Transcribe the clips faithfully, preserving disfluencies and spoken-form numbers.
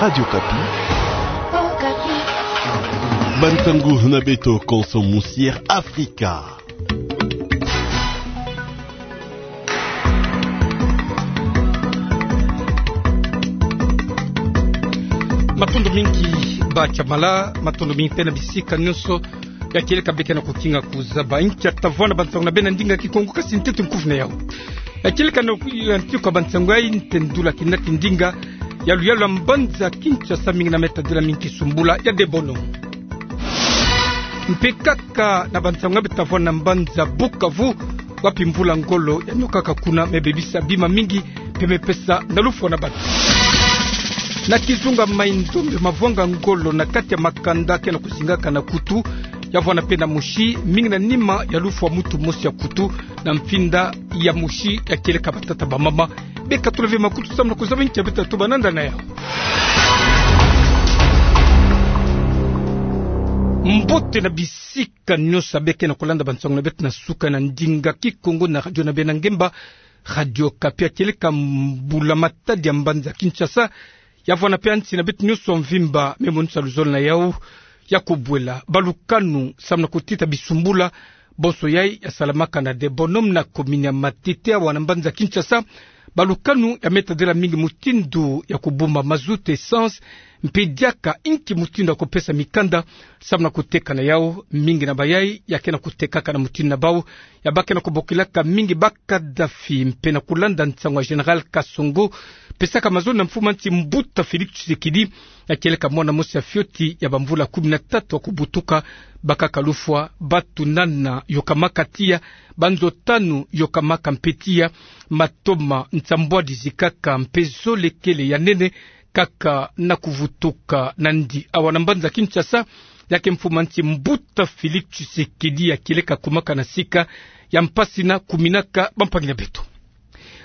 Radio Okapi. Bansango na beto konso musière Afrika. Matondo mingi ba Chamala, matondo mingi pe na bisika nyonso ya kieleka beke na kokinga kuzaba. Nkia tavwanda bansango na beno na ndinga Kikongo, kasi ntete nkufi na yau. Ya kieleka na ku-, ya ntiku ya bansango yai, ntendula kina ki ndinga ya luyalu ya mbanza Kinshasa, mingi na meta dila mingi kisumbula ya debono. Mpe kaka na bansango ya beto tavwanda na mbanza Bukavu, wapi mvula ngolo yanokaka kuna, mebebisa bima mingi, mpe mepesa na lufwa na bato. Na kizunga Mai-Ndombe, mavwanga ngolo na kati ya makanda ke na kuzingaka na kutu, ya vwanda pe na mosi, mingi na nima ya lufwa muntu mosi ya kutu, na mfinda ya mosi ya kieleka batata bamama. Beka tula ve makutu samu na kuzaba nkia beto tobana nda na yau. Mbote na bisika nyonso beke na kolanda bansango na beto na suka na ndinga Kikongo na radio na beno ya ngemba, Radio Okapi. Ya kieleka mbula-matadi ya mbanza Kinshasa, ya vwanda pe ya nsi na beto nyonso mvimba, me monisa luzolo na yau ya kobwela balukanu samu na kotita bisumbula bonso yai ya salamaka na debono na komini ya Matete, awa na mbanza Kinshasa. Balukanu ya meta dila mingi mutindu ya kobumba mazout, essence, mpe diaka inki mutindu ya kopesa mikanda samu na koteka na yau. Mingi na bayai ya ke na kotekaka na mutindu na bau ya ba ke na kobokilaka mingi ba Kadhafi. Mpe na kolanda nsangu ya Général Kasongo pesaka mazono na mfumu ya nsi, Mbuta Félix Tshisekedi, ya kieleka mwana mosi ya fioti ya bamvula kumi na tatu ya kobutuka, bakaka lufwa, batu nana yokamaka tiya, banzo tanu yokamaka mpe tiya, matoma nsambwadi zikaka mpe zole kele ya nene kaka na kuvutuka na ndi. Awa na mbanza Kinshasa, ya ke mfumu ya nsi Mbuta Félix Tshisekedi ya kieleka kumaka na sika ya mpasi na kuminaka bampangi na beto.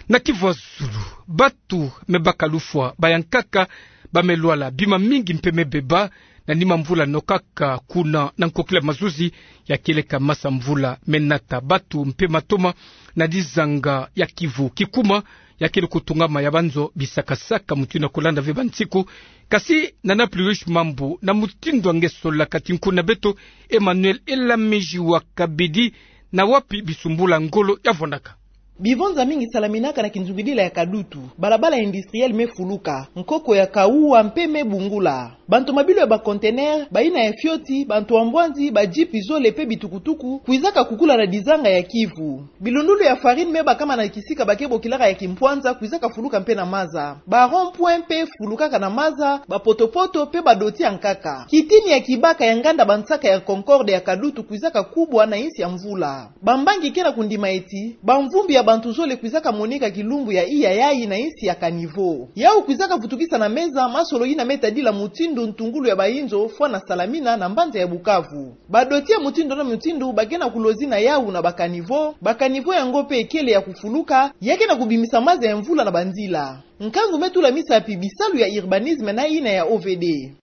Na Kivu ya zulu, batu me baka lufwa, bayankaka, ba me lwala, bima mingi mpe me beba, na nima mvula nokaka kuna na nkokila mazuzi ya kieleka masa mvula me nata. Batu mpe matoma na dizanga ya Kivu, kikuma ya ke na kotungama ya banzo bisakasaka mutindu na kolanda ve bansiku. Kasi Nana Plurish Mambu, na mutindu ya nge, solaka ti nkuna beto Emmanuel Elamiji wa Kabedi, na wapi bisumbula ngolo ya vwandaka. Bivonza mingi salaminaka na kinzungidila ya Kadutu, balabala industriel me fuluka, nkoko ya Kaua mpe me bungula. Bantomabilu ya ba conteneurs, bayina ya fioti, bantu ya mbwanzi, ba jeeps zole mpe bitukutuku kwizaka kukula na dizanga ya Kivu. Bilundulu ya farine me bakama na kisika ba ke bokilaka ya Kimpwanza kwizaka fuluka mpe na maza. Ba rond-point mpe fulukaka na maza, ba potopoto mpe ba doti ya nkaka. Kitini ya kibaka ya nganda bansaka ya Concorde ya Kadutu kwizaka kubwa na insi ya mvula. Bambangi ke na kondima eti bamvumbi ya bantu zole kwizaka moneka kilumbu ya iya yai na insi ya caniveau. Yau kwizaka vutukisa na meza masolo yina me tadila mutindu ntungulu ya bayinzo fwana salamina na mbanza ya Bukavu. Ba doti ya mutindu na mutindu ba ke na kulozi na yau na ba caniveau. Ba caniveau yango mpe kele ya kufuluka, ya ke na kubimisa maza ya mvula na banzila. Nkangu me tula misapi bisalu ya urbanisme na yina ya O V D.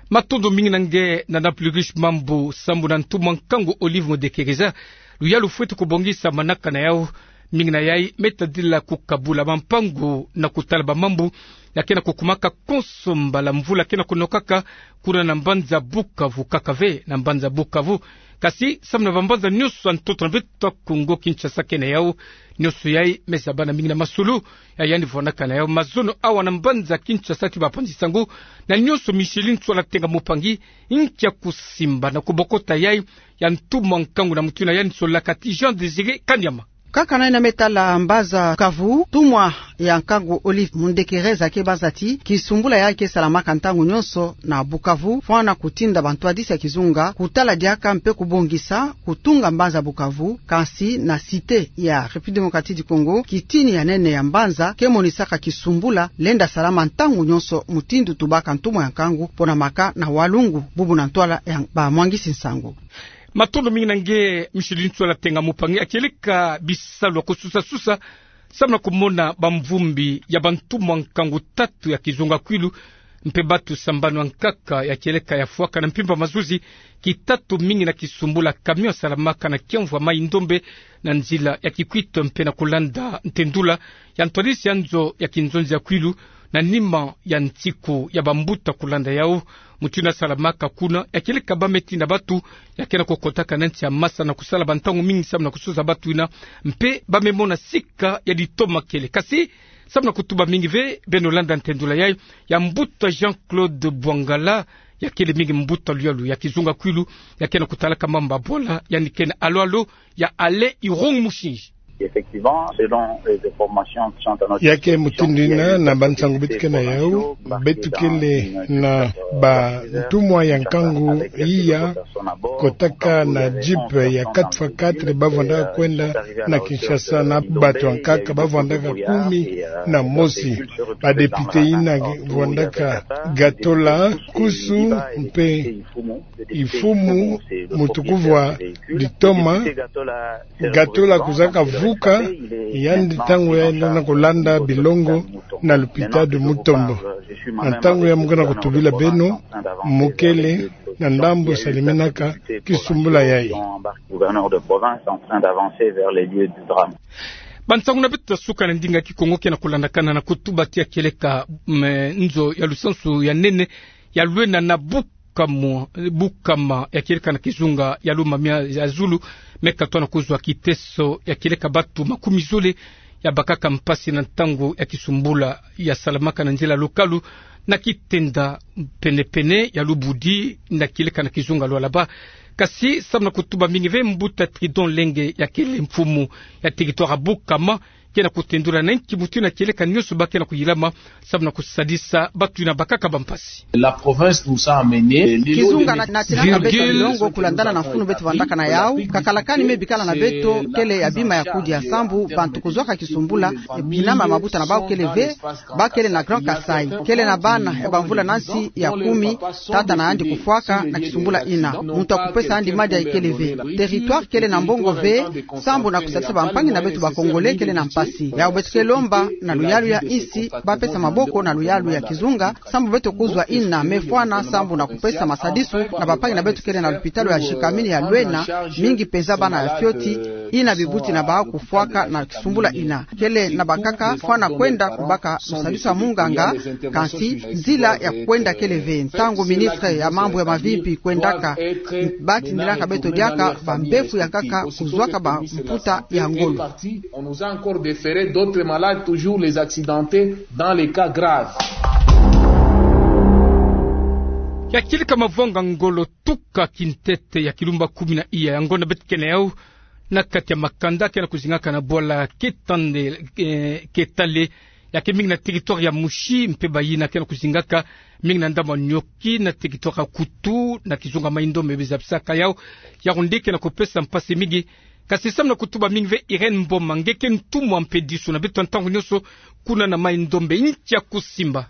Matondo mingi na nge Nana Plurish Mambu. Sambu na ntumwa nkangu Olive Mudekereza, luyalu fweti kobongisa manaka na yau, mingi na yai me tadila kukabula bampangu na kotala bamambu ya ke na kokumaka konso mbala mvula ke na konokaka kuna na mbanza Bukavu, kaka ve na mbanza Bukavu, kasi samu na bambanza nyonso ya ntoto na beto ya Kongo Kinshasa ke na yau. Nyonso yai me zabana mingi na masolo ya yandi vwandaka na yau mazono awa na mbanza Kinshasa. Ti bapanzi sango na nyonso, Micheline Nswala Tenga Mupangi, nkia kusimba na kubokota yai ya ntumwa nkangu na mutindu na yandi, solaka ti Jean Désiré Kanyama. Kaka na yina me tala mbaza Bukavu, ntumwa ya nkangu Olive Mudekereza ke baza ti kisumbula ya ke salamaka ntangu nyonso na Bukavu fwana kotinda bantwadisi ya kizunga kotala diaka mpe kobongisa kotunga mbaza Bukavu, kasi na Cité ya République Démocratique du Congo, kitini ya nene ya mbanza ke monisaka kisumbula lenda salama ntangu nyonso mutindu tubaka ntumwa ya nkangu mpo na maka na walungu. Bubu na ntwala ya bamwangisi nsangu. Matondo mingi na nge Micheline Nswala Tenga Mupangi. Ya kieleka bisalu ya kosusasusa samu na komona bamvumbi ya bantumwa nkangu tatu ya kizunga kwilu mpe batu sambanu ya nkaka ya kieleka ya fwaka na mpimpa mazuzi, kitatu mingi na kisumbula camion salamaka na kiamvu ya Mai-Ndombe na nzila ya Kikwit mpe na kolanda ntendula ya ntwadisi ya nzo ya kinzonzi ya kwilu na nima ya nsiku ya bambuta kulanda yau, mutindu yasalamaka kuna, ya kieleka bameti na batu, ya kena kukotaka na nsi ya masa na kusala bantangu mingi samu na kusuza batu yina, mpe bamemona sika ya ditoma kele. Kasi, samu na kutuba mingi ve, beno landa ntendula yai, ya mbuta Jean-Claude Bouangala, ya kele mingi mbuta luyalu, ya kizunga kwilu, ya kena kutalaka mambu ya bwala, yandi kena alo-alo, ya Alain Irung Mushinji. Effectivement, selon les informations qui sont à notre... Ya ke mutindu yina, na bansangu beto kena yau, beto kele na bantumwa ya nkangu iya, kotaka na jeep ya quatre fois quatre, bavanda kwenda na Kinshasa, na batu yankaka bavandaka kumi na mosi. Ba député yina vandaka Gatola, Kusu, mpe Ifumu, muntu kuvwa ditoma, Gatola kuzaka vuka, yandi ntangu yai na kulanda bilongo na lupitalu Mutombo. Na ntangu yai mu kena kutubila beno, mu kele na ndambu saliminaka kisumbula yai. Gouverneur de province en train d'avancer vers les lieux du drame. Bansangu na beto tasuka na ndinga Kikongo kena kulandakana na kutuba ti ya kieleka, mm, nzo ya lusansu ya nene ya Luena na Bukamo-, Bukama, ya kieleka na kizunga ya lumamia ya zulu, me katona kuzwa kiteso ya kieleka batu makumi zole ya bakaka mpasi na ntangu ya kisumbula yasalamaka na nzila lukalu na kitenda pene-pene ya lubudi na kieleka na kizunga Lualaba. Kasi samu na kutuba mingi ve, mbuta Tridon Lenge, ya kele mfumu ya territoire Bukama, kena kutendula na nki mutindu yina kieleka nyonso ba kena kuyilama samu na kusadisa batu yina bakaka bampasi. La province nous a amené. Kizunga na, natinaka beto bilongo kulandana na mfunu beto vandaka na yau. Kakalakani me bikala na beto kele ya bima ya kudia, sambu bantu kuzwaka kisumbula, binama mabuta na bau kele ve, ba kele na Grand Kasaï. Kele na bana ya bamvula na nsi ya kumi, tata na yandi kufwaka na kisumbula yina. Muntu ya kupesa yandi madi kele ve. Territoire kele na mbongo ve, sambu na kusadisa bampangi na beto ba Congolais kele na mpasi. Yau beto ke lomba na luyalu ya insi, bapesa maboko na luyalu ya kizunga, sambu beto kuzwa yina me fwana, sambu na kupesa masadisu na bampangi na beto kele na lupitalu ya Shikamini ya Luena, mingi penza bana ya fioti, yina bibuti na bau kufwaka na kisumbula yina. Kele na bakaka fwana kwenda kubaka lusadisu ya munganga, kansi nzila ya kwenda kele ve. Ntangu ministre ya mambu ya mavimpi kwendaka, batindilaka beto diaka bambefu yankaka kuzwaka bamputa ya ngolo. On nous a encore déféré d'autres malades, toujours les accidentés dans les cas graves. Ya kieleka mavwanga ngolo tuka kintete ya kilumba kumi na iya ya ngonda beto kena yau, na kati ya makanda kena kuzingaka na bwala Ketande, eh, Ketale, ya ke mingi na territoire ya Mouchi, mpe bayina kena kuzingaka mingi na ndambu ya Niokki na territoire ya Koutou, na kizunga Maï-Ndombe, biza bisaka yau, ya nde kena kupesa mpasi mingi. Kasi samu na kutuba mingi ve, Irène Mboma, nge ke ntumwa mpedisu na beto ya ntangu nyonso kuna na Maï-Ndombe, nki ya kusimba?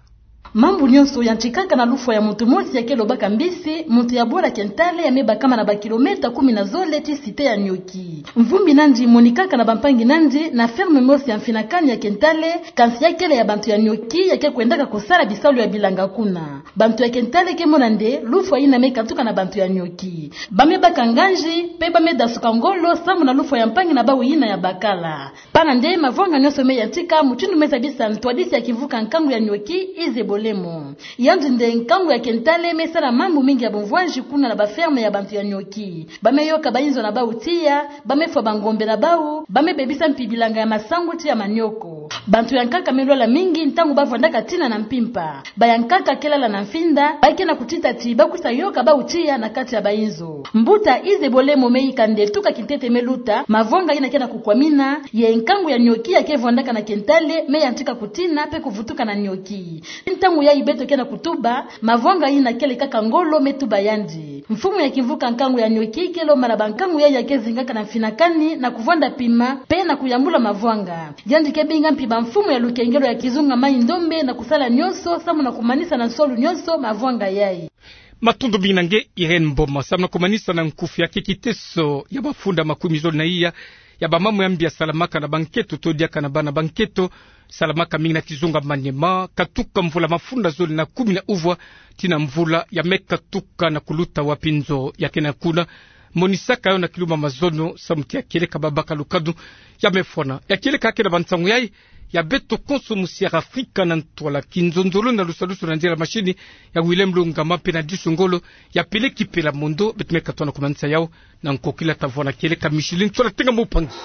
Mambu nyonso yantikaka na lufwa ya muntu mosi ya ke lobaka mbisi, muntu ya bwala Kentale ya me bakama na bakilomètre kumi na zole ti cité ya Niokki. Mvumbi nandi monikaka na bampangi nandi na ferme mosi ya mfinakani ya Kentale, kansi ya kele ya bantu ya Niokki ya ke kwendaka kusala bisalu ya bilanga kuna. Bantu ya Kentale ke mona nde lufwa yina me katuka na bantu ya Niokki. Ba me baka nganzi, mpe ba me dasuka ngolo sambu na lufwa ya mpangi na bau yina ya bakala. Pana nde mavwanga nyonso me yantika, mutindu me zabisa ntwadisi ya kimvuka nkangu ya Niokki, Yves Bolemo. Yandi nde nkangu ya Kentale me sala mambu mingi ya bumvwanzi kuna na baferme ya bantu ya Niokki. Ba me yoka bayinzo na bau tiya, ba me fwa bangombe na bau, ba me bebisa mpi bilanga ya masangu tiya manioko. Bantu yankaka me lwala mingi ntangu ba vwandaka tina na mpimpa. Bayankaka ke lala na mfinda, ba ke na kutita ti ba kwisa yoka bau tiya na kati ya bayinzo. Mbuta Yves Bolemo me yika nde tuka kintete me luta, mavwanga yina ke na kukwamina, ye nkangu ya Niokki ya ke vwandaka na Kentale me yantika kutina mpe kuvutuka na Niokki. Ntangu yayi beto ke na kutuba, mavwanga yina kele kaka ngolo me tuba yandi. Mfumu ya kimvuka nkangu ya Niokki ke lomba na bankangu yayi ya ke zingaka na mfinakani na kuvwanda pima, mpe na kuyambula mavwanga. Yandi ke binga mpi bamfumu ya lukengelo ya kizunga Maï-Ndombe na kusala nyonso sambu na kumanisa na nsolu nyonso mavwanga yayi. Matondo mingi na nge Irène Mboma. Sambu na kumanisa na nkufi ya ke kiteso ya mafunda makumi zole na iya ya bamambu ya mbi ya salamaka na banketo to diaka na bana banketo, salamaka mingi na kizunga Maniema, katuka mvula mafunda zole na kumi na uvwa tii na mvula ya me katuka na kuluta wapi nzo ya ke na kuna. Monisaka yo na kiluma mazono samu tia kieleka babaka lukanu ya mefona. Ya kieleka ke na bansangu yayi, ya beto konso musiara Afrika na ntwala kinzonzolo na lusalusu na nzila masini ya Willem Lungama pe na disu ngolo, ya pele kipela mondo, beto me katoa na kumanisa yao na nkokila tavona kieleka Micheline Tsola Tenga Mupangi.